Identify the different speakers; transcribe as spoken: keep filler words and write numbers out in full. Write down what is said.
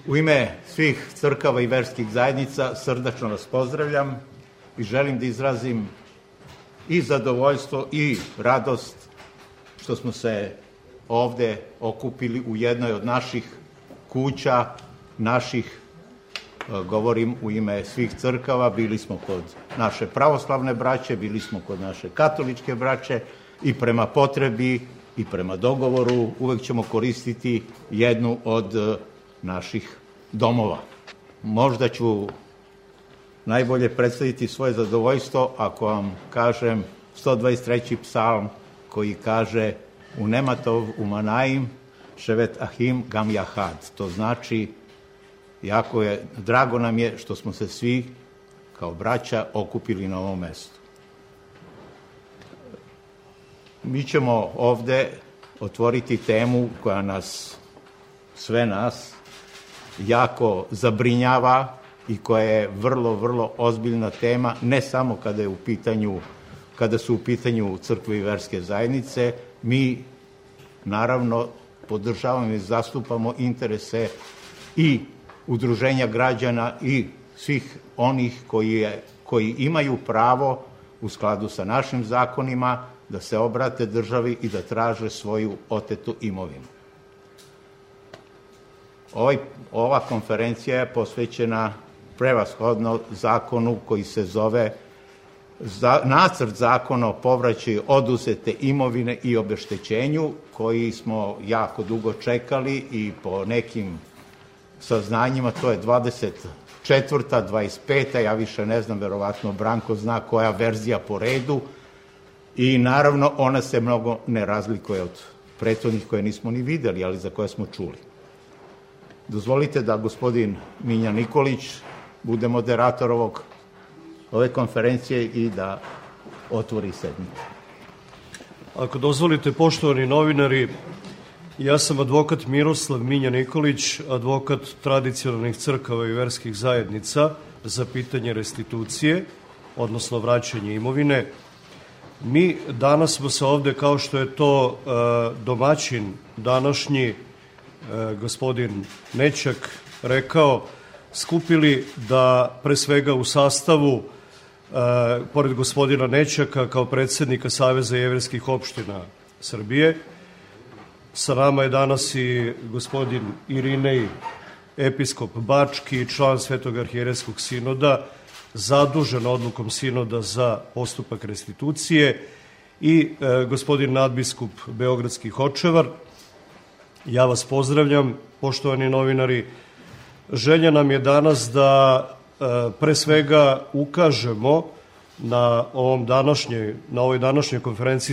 Speaker 1: U ime svih crkava i verskih zajednica srdačno vas pozdravljam i želim da izrazim i zadovoljstvo i radost što smo se ovde okupili u jednoj od naših kuća, naših, govorim u ime svih crkava, bili smo kod naše pravoslavne braće, bili smo kod naše katoličke braće i prema potrebi i prema dogovoru uvek ćemo koristiti jednu od naših domova. Možda ću najbolje predstaviti svoje zadovoljstvo ako vam kažem sto dvadeset treći psalm koji kaže u Nematov umanaim ševet ahim gam jahad. To znači, jako je, drago nam je što smo se svi kao braća okupili na ovom mestu. Mi ćemo ovde otvoriti temu koja nas, sve nas, jako zabrinjava i koja je vrlo, vrlo ozbiljna tema, ne samo kada je u pitanju, kada su u pitanju crkve i verske zajednice. Mi, naravno, podržavamo i zastupamo interese i udruženja građana i svih onih koji, je, koji imaju pravo u skladu sa našim zakonima da se obrate državi i da traže svoju otetu imovinu. Ovaj, ova konferencija je posvećena prevashodno zakonu koji se zove za, nacrt zakona o povraćaju oduzete imovine i obeštećenju, koji smo jako dugo čekali i po nekim saznanjima to je dvadeset četvrta, dvadeset peta, ja više ne znam, verovatno Branko zna koja verzija po redu i naravno ona se mnogo ne razlikuje od prethodnih koje nismo ni videli, ali za koje smo čuli. Dozvolite da gospodin Miljan Nikolić bude moderator ovog, ove konferencije i da otvori sednicu.
Speaker 2: Ako dozvolite, poštovani novinari, ja sam advokat Miroslav Miljan Nikolić, advokat tradicionalnih crkava i verskih zajednica za pitanje restitucije, odnosno vraćanje imovine. Mi danas smo se ovde, kao što je to uh, domaćin današnji, uh, gospodin Nećak, rekao, skupili da pre svega u sastavu, uh, pored gospodina Nećaka kao predsednika Saveza jevrejskih opština Srbije, sa nama je danas i gospodin Irinej, episkop Bački, član Svetog arhijerejskog sinoda, zadužen odlukom sinoda za postupak restitucije i e, gospodin nadbiskup Beogradski Hočevar. Ja vas pozdravljam, poštovani novinari. Želja nam je danas da e, pre svega ukažemo na ovom današnjoj, na ovoj današnjoj konferenciji